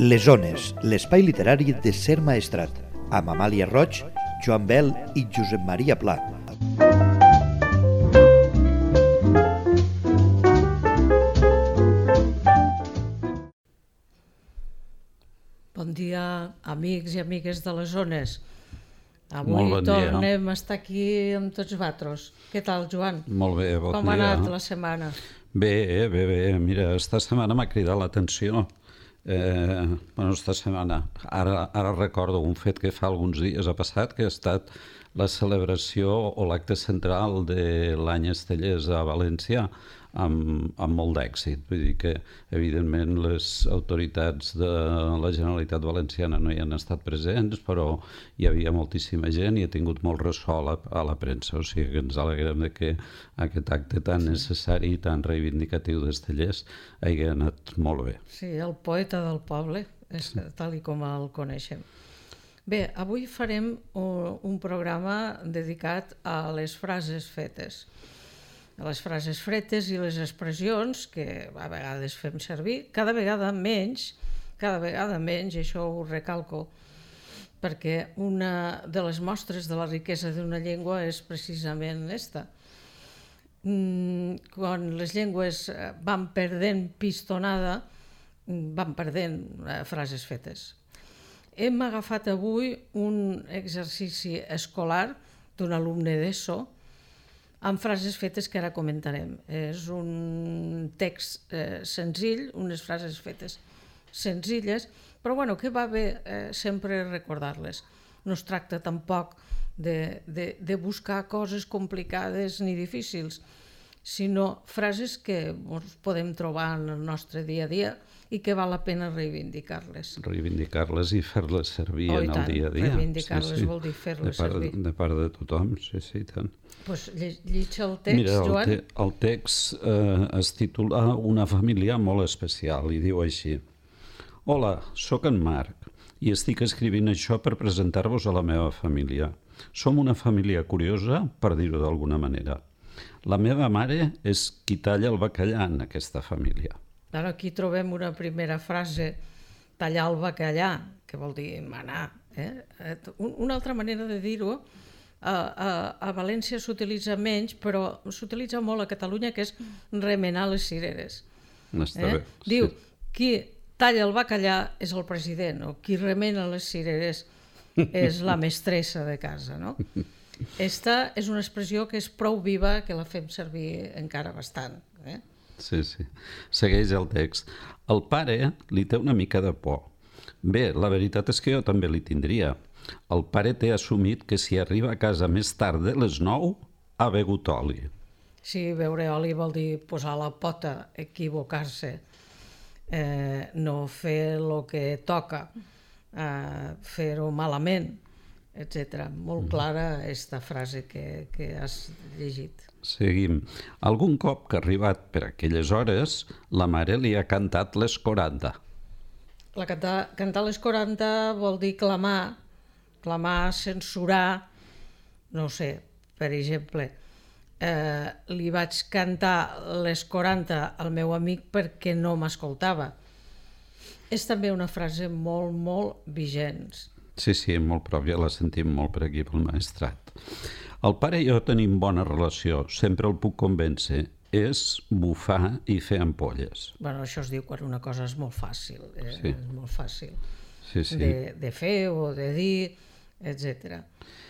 Les Ones, l'espai literari de Ser Maestrat, amb Amàlia Roig, Joan Bel i Josep Maria Pla. Bon dia, amics i amigues de les Ones. Avui Molt bon dia. tornem a estar aquí amb tots vosaltres. Què tal, Joan? Molt bé, bon dia. Com ha anat la setmana? Bé. Mira, esta setmana m'ha cridat l'atenció. Esta setmana. Ara recordo un fet que fa alguns dies ha passat, que ha estat la celebració o l'acte central de l'any Estellers a València, amb molt d'èxit. Vull dir que, evidentment, les autoritats de la Generalitat Valenciana no hi han estat presents, però hi havia moltíssima gent i ha tingut molt ressò a la premsa. O sigui que ens alegrem de que aquest acte tan necessari i tan reivindicatiu d'Estellers hagi anat molt bé. Sí, el poeta del poble, és tal i com el coneixem. Bé, avui farem un programa dedicat a les frases fetes. Les frases fretes i les expressions que a vegades fem servir, cada vegada menys, i això ho recalco, perquè una de les mostres de la riquesa d'una llengua és precisament aquesta. Quan les llengües van perdent pistonada, van perdent frases fetes. Hem agafat avui un exercici escolar d'un alumne d'ESO, amb frases fetes que ara comentarem. És un text senzill, unes frases fetes senzilles, però que va bé sempre recordar-les. No es tracta tampoc de buscar coses complicades ni difícils, sinó frases que podem trobar en el nostre dia a dia i que val la pena reivindicar-les. Reivindicar-les i fer-les servir en el dia a dia. Reivindicar-les vol dir fer-les servir. De part de tothom, sí, tant. Doncs llegeix el text, Joan. Mira, el text es titula Una família molt especial i diu així: Hola, sóc en Marc i estic escrivint això per presentar-vos a la meva família. Som una família curiosa, per dir-ho d'alguna manera. La meva mare és qui talla el bacallà en aquesta família. Ara aquí trobem una primera frase, tallar el bacallà, que vol dir manar. Una altra manera de dir-ho, a València s'utilitza menys, però s'utilitza molt a Catalunya, que és remenar les cireres. Està bé. Diu, qui talla el bacallà és el president, o qui remena les cireres és la mestressa de casa, no? Esta és una expressió que és prou viva, que la fem servir encara bastant. Sí. Segueix el text. El pare li té una mica de por. Bé, la veritat és que jo també li tindria. El pare té assumit que si arriba a casa més tard de les 9 ha begut oli. Sí, beure oli vol dir posar la pota, equivocar-se, no fer el que toca, fer-ho malament, etc. Molt clara aquesta frase que has llegit. Seguim. Algun cop que ha arribat per aquelles hores, la mare li ha cantat les 40. Cantar les 40 vol dir clamar, censurar, no sé, per exemple, li vaig cantar les 40 al meu amic perquè no m'escoltava. És també una frase molt, molt vigent. Sí, molt pròpia, la sentim molt per aquí pel Maestrat. El pare i jo tenim bona relació, sempre el puc convèncer. És bufar i fer ampolles. Això es diu quan una cosa és molt fàcil, és molt fàcil de fer o de dir, etc.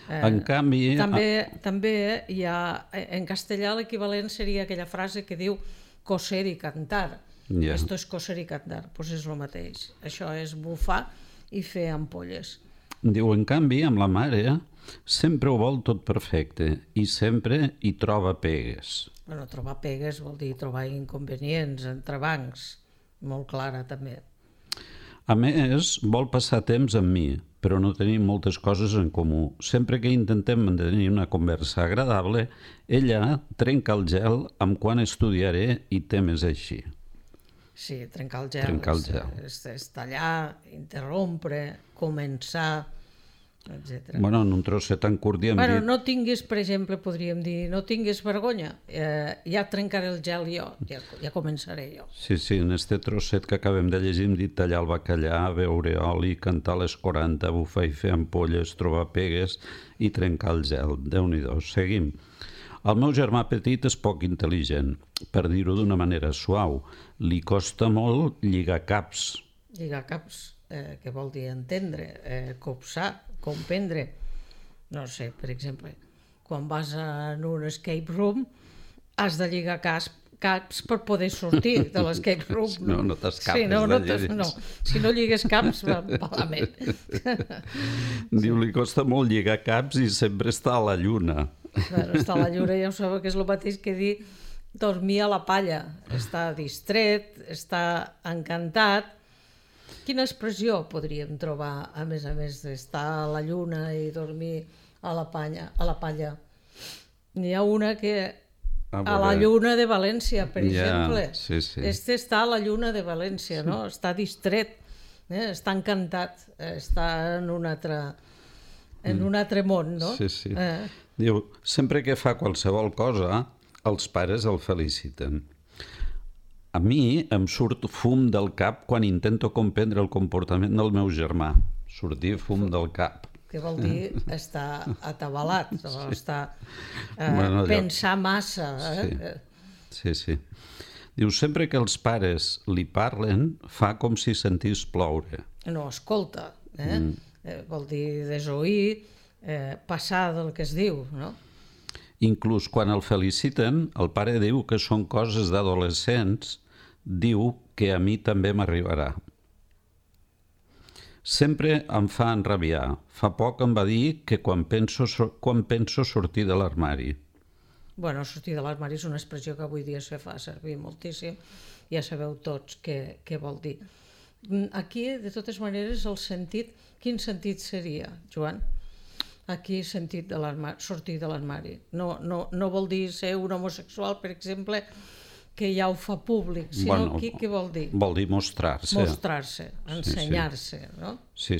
En canvi... També hi ha, en castellà l'equivalent seria aquella frase que diu coser i cantar. Esto es coser i cantar, doncs és el mateix. Això és bufar i fer ampolles. Diu, en canvi, amb la mare sempre ho vol tot perfecte i sempre hi troba pegues. Trobar pegues vol dir trobar inconvenients, entrebancs, molt clara també. A més, vol passar temps amb mi, però no tenim moltes coses en comú. Sempre que intentem mantenir una conversa agradable, ella trenca el gel amb quan estudiaré i temes així. Sí, trencar el gel. És tallar, interrompre, començar, etc. Bueno, en un trosset tan curt i hem dit... No tinguis, per exemple, podríem dir, no tinguis vergonya, ja trencaré el gel jo, ja començaré jo. Sí, en este trosset que acabem de llegir hem dit tallar el bacallà, beure oli, cantar les 40, bufar i fer ampolles, trobar pegues i trencar el gel. Déu-n'hi-do, seguim. El meu germà petit és poc intel·ligent, per dir-ho d'una manera suau. Li costa molt lligar caps. Lligar caps, què vol dir entendre, copsar, comprendre. No sé, per exemple, quan vas en un escape room has de lligar caps per poder sortir de l'escape room. No t'escapes Si no lligues caps, va malament. Diu, li costa molt lligar caps i sempre està a la lluna. Bueno, estar a la lluna ja ho sabeu que és el mateix que dir dormir a la palla. Està distret, està encantat. Quina expressió podríem trobar, a més d'estar a la lluna i dormir a la palla? N'hi ha una que a la lluna de València, per exemple. Sí. Este està a la lluna de València, no? Està distret, està encantat, està en un altre món, no? Sí. Diu, sempre que fa qualsevol cosa, els pares el feliciten. A mi em surt fum del cap quan intento comprendre el comportament del meu germà. Sortir fum del cap. Que vol dir estar atabalat, pensar massa. Sí. Diu, sempre que els pares li parlen, fa com si sentís ploure. No, escolta, vol dir desoir, passar del que es diu, no? Inclús quan el feliciten, el pare diu que són coses d'adolescents, diu que a mi també m'arribarà. Sempre em fa enrabiar. Fa poc em va dir que quan penso sortir de l'armari. Bueno, sortir de l'armari és una expressió que avui dia se fa servir moltíssim. Ja sabeu tots què vol dir. Aquí, de totes maneres, quin sentit seria, Joan? Aquí sentit de sortir de l'armari. No vol dir ser un homosexual, per exemple, que ja ho fa públic, sinó què vol dir? Vol dir mostrar-se. Mostrar-se, ensenyar-se, no? Sí.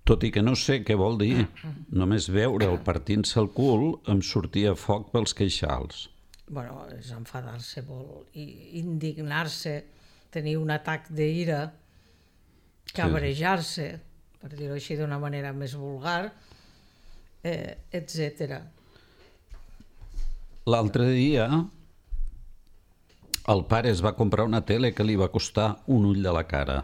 Tot i que no sé què vol dir, només veure'l partint-se el cul em sortia foc pels queixals. Bueno, és enfadar-se molt, indignar-se, tenir un atac d'ira, cabrejar-se, per dir-ho així d'una manera més vulgar, etc. L'altre dia el pare es va comprar una tele que li va costar un ull de la cara.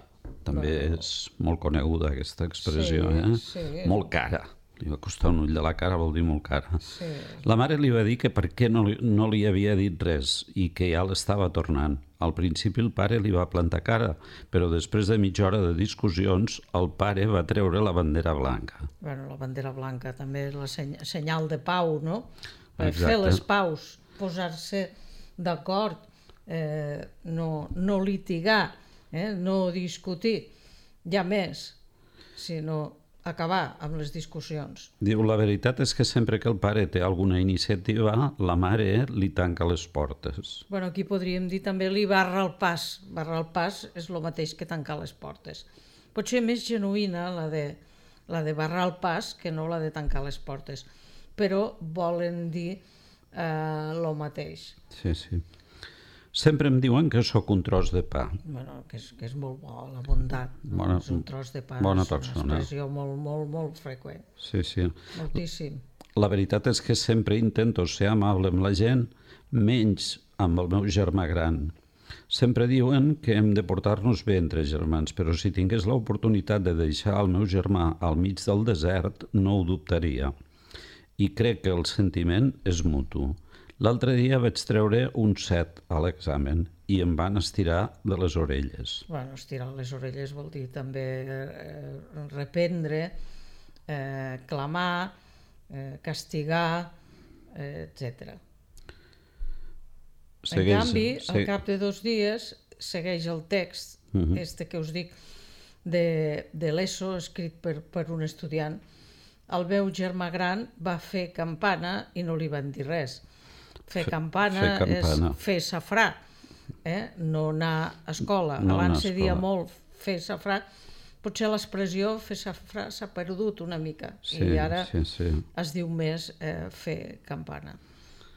També és molt coneguda aquesta expressió, Sí. Molt cara. Li va costar un ull de la cara, vol dir molt cara. Sí. La mare li va dir que per què no li havia dit res i que ja l'estava tornant. Al principi el pare li va plantar cara, però després de mitja hora de discussions el pare va treure la bandera blanca. Bueno, la bandera blanca també és la senyal de pau, no? Per Exacte. fer les paus, posar-se d'acord, no litigar, no discutir, ja més, sinó acabar amb les discussions. Diu, la veritat és que sempre que el pare té alguna iniciativa, la mare li tanca les portes. Bueno, aquí podríem dir també li barra el pas. Barrar el pas és el mateix que tancar les portes. Pot ser més genuïna la de barrar el pas que no la de tancar les portes, però volen dir el mateix. Sí. Sempre em diuen que sóc un tros de pa. Bueno, que és molt bo, la bondat. No? És un tros de pa, bona és una persona. expressió molt freqüent. Sí. Moltíssim. La veritat és que sempre intento ser amable amb la gent, menys amb el meu germà gran. Sempre diuen que hem de portar-nos bé entre germans, però si tingués l'oportunitat de deixar el meu germà al mig del desert, no ho dubtaria. I crec que el sentiment és mutu. L'altre dia vaig treure un 7 a l'examen i em van estirar de les orelles. Bueno, estirar les orelles vol dir també reprendre, clamar, castigar, etc. En canvi, al cap de 2 dies, segueix el text, este que us dic, de l'ESO, escrit per un estudiant. El meu germà gran va fer campana i no li van dir res. Fer campana és fer safrà, no anar a escola. Abans se dia molt fer safrà potser l'expressió fer safrà s'ha perdut una mica Sí, i ara sí, sí. es diu més fer campana.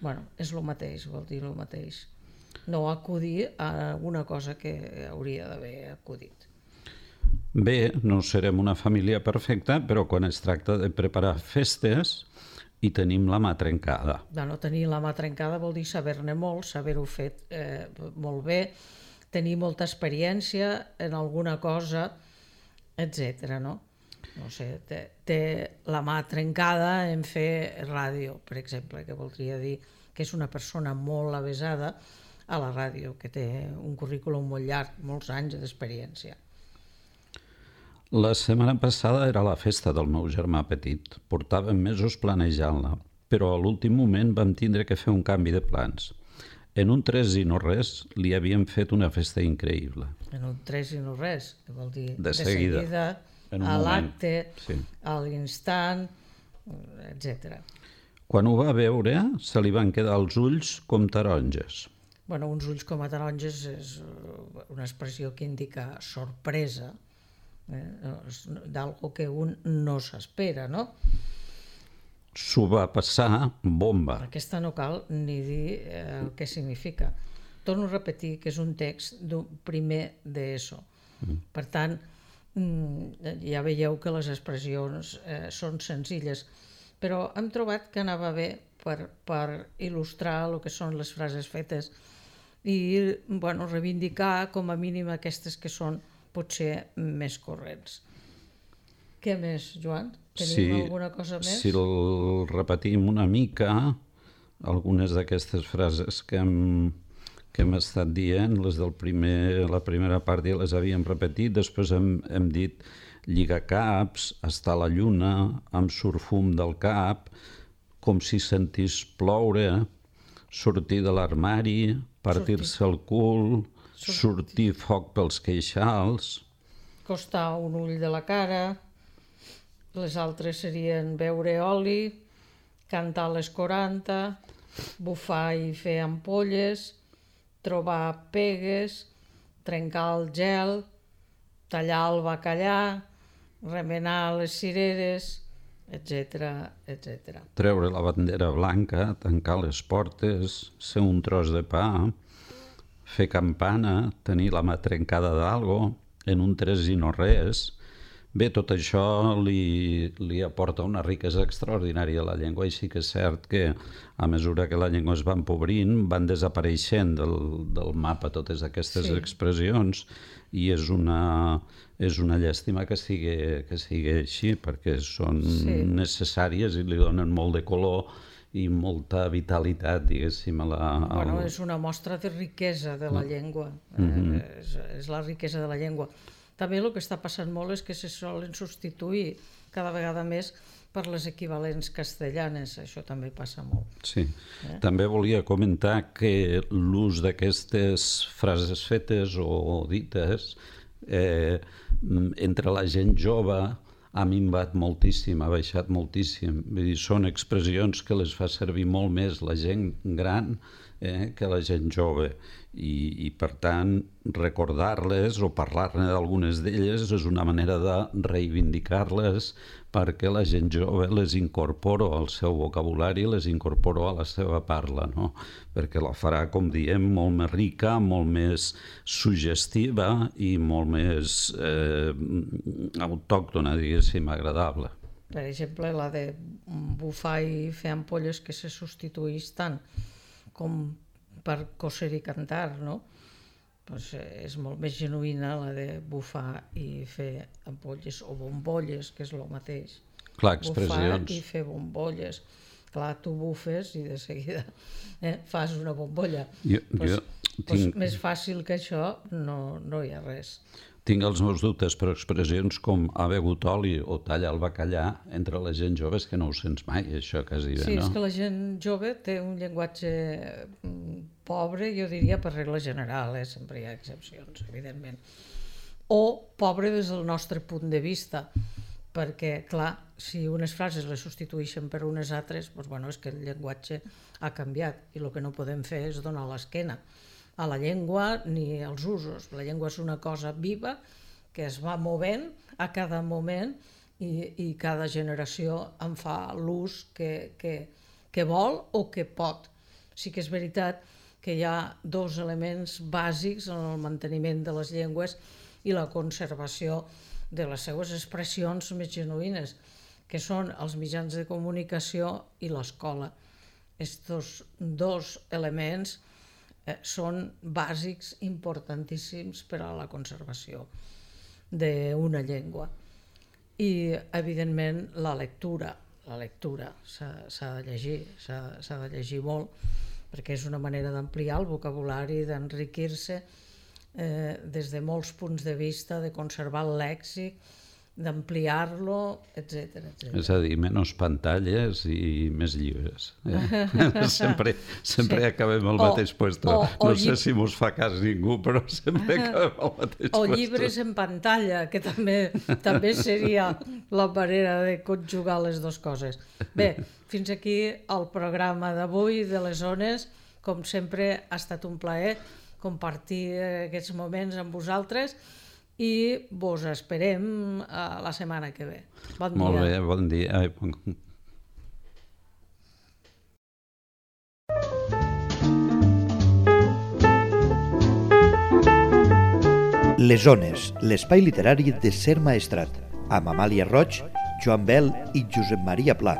Bueno, és el mateix, vol dir el mateix. No acudir a alguna cosa que hauria d'haver acudit. Bé, no serem una família perfecta, però quan es tracta de preparar festes i tenim la mà trencada. No tenir la mà trencada vol dir saber-ne molt, saber-ho fet molt bé, tenir molta experiència en alguna cosa, etc. No sé, té la mà trencada en fer ràdio, per exemple, que voldria dir que és una persona molt avesada a la ràdio, que té un currículum molt llarg, molts anys d'experiència. La setmana passada era la festa del meu germà petit. Portàvem mesos planejant-la, però a l'últim moment vam tindre que fer un canvi de plans. En un tres i no res li havíem fet una festa increïble. En un tres i no res, que vol dir De seguida, en un a moment. l'acte, Sí. a l'instant, etc. Quan ho va veure, se li van quedar els ulls com taronges. Bueno, uns ulls com a taronges és una expressió que indica sorpresa, d'algo que un no s'espera, no? S'ho va passar bomba. Aquesta no cal ni dir el que significa. Torno a repetir que és un text d'un primer d'ESO. Per tant, ja veieu que les expressions són senzilles, però hem trobat que anava bé per il·lustrar el que són les frases fetes i reivindicar com a mínim aquestes que són potser més corrents. Què més, Joan? Tenim alguna cosa més? Si el repetim una mica, algunes d'aquestes frases que hem estat dient, les del la primera part ja les havíem repetit, després hem dit lligacaps, estar a la lluna, em surt fum del cap, com si sentís ploure, sortir de l'armari, partir-se el cul, sortir foc pels queixals. Costar un ull de la cara, les altres serien beure oli, cantar a les 40, bufar i fer ampolles, trobar pegues, trencar el gel, tallar el bacallà, remenar les cireres, etc. etc. Treure la bandera blanca, tancar les portes, ser un tros de pa, fer campana, tenir la mà trencada d'algo, en un tres i no res. Bé, tot això li aporta una riquesa extraordinària a la llengua i sí que és cert que a mesura que la llengua es va empobrint van desapareixent del mapa totes aquestes expressions i és una llàstima que sigui així perquè són necessàries i li donen molt de color i molta vitalitat, diguéssim, a la... Bueno, és una mostra de riquesa de la llengua, és la riquesa de la llengua. També el que està passant molt és que se solen substituir cada vegada més per les equivalents castellanes, això també passa molt. Sí, també volia comentar que l'ús d'aquestes frases fetes o dites entre la gent jove ha minvat moltíssim, ha baixat moltíssim. Vull dir, són expressions que les fa servir molt més la gent gran que la gent jove i per tant recordar-les o parlar-ne d'algunes d'elles és una manera de reivindicar-les perquè la gent jove les incorpora al seu vocabulari, les incorpora a la seva parla, no? Perquè la farà, com diem, molt més rica, molt més suggestiva i molt més autòctona, diguéssim, agradable. Per exemple, la de bufar i fer ampolles que se substituís tant com per coser i cantar, no? Pues és molt més genuïna la de bufar i fer ampolles o bombolles, que és el mateix. Clar, expressions. Bufar i fer bombolles. Clar, tu bufes i de seguida fas una bombolla. Més fàcil que això no hi ha res. Tinc els meus dubtes, però expressions com ha begut oli o talla el bacallà entre la gent jove és que no ho sents mai, això quasi bé, no? Sí, és que la gent jove té un llenguatge pobre, jo diria per regla general, sempre hi ha excepcions, evidentment. O pobre des del nostre punt de vista, perquè, clar, si unes frases les substitueixen per unes altres, doncs, és que el llenguatge ha canviat i el que no podem fer és donar l'esquena a la llengua ni als usos. La llengua és una cosa viva que es va movent a cada moment i cada generació en fa l'ús que vol o que pot. Sí que és veritat que hi ha dos elements bàsics en el manteniment de les llengües i la conservació de les seues expressions més genuïnes, que són els mitjans de comunicació i l'escola. Estos dos elements són bàsics, importantíssims per a la conservació d'una llengua. I, evidentment, la lectura s'ha de llegir molt, perquè és una manera d'ampliar el vocabulari, d'enriquir-se des de molts punts de vista, de conservar el lèxic, d'ampliar-lo, etc. És a dir, menys pantalles i més llibres. Sempre acabem al mateix puesto. No sé si mos fa cas ningú, però sempre acabem al mateix puesto. O llibres en pantalla, que també seria la manera de conjugar les dues coses. Bé, fins aquí el programa d'avui de les Ones. Com sempre, ha estat un plaer compartir aquests moments amb vosaltres i vos esperem la setmana que ve. Bon dia. Molt bé, bon dia. Les Ones, l'espai literari de Ser Maestrat, amb Amàlia Roig, Joan Bel i Josep Maria Pla.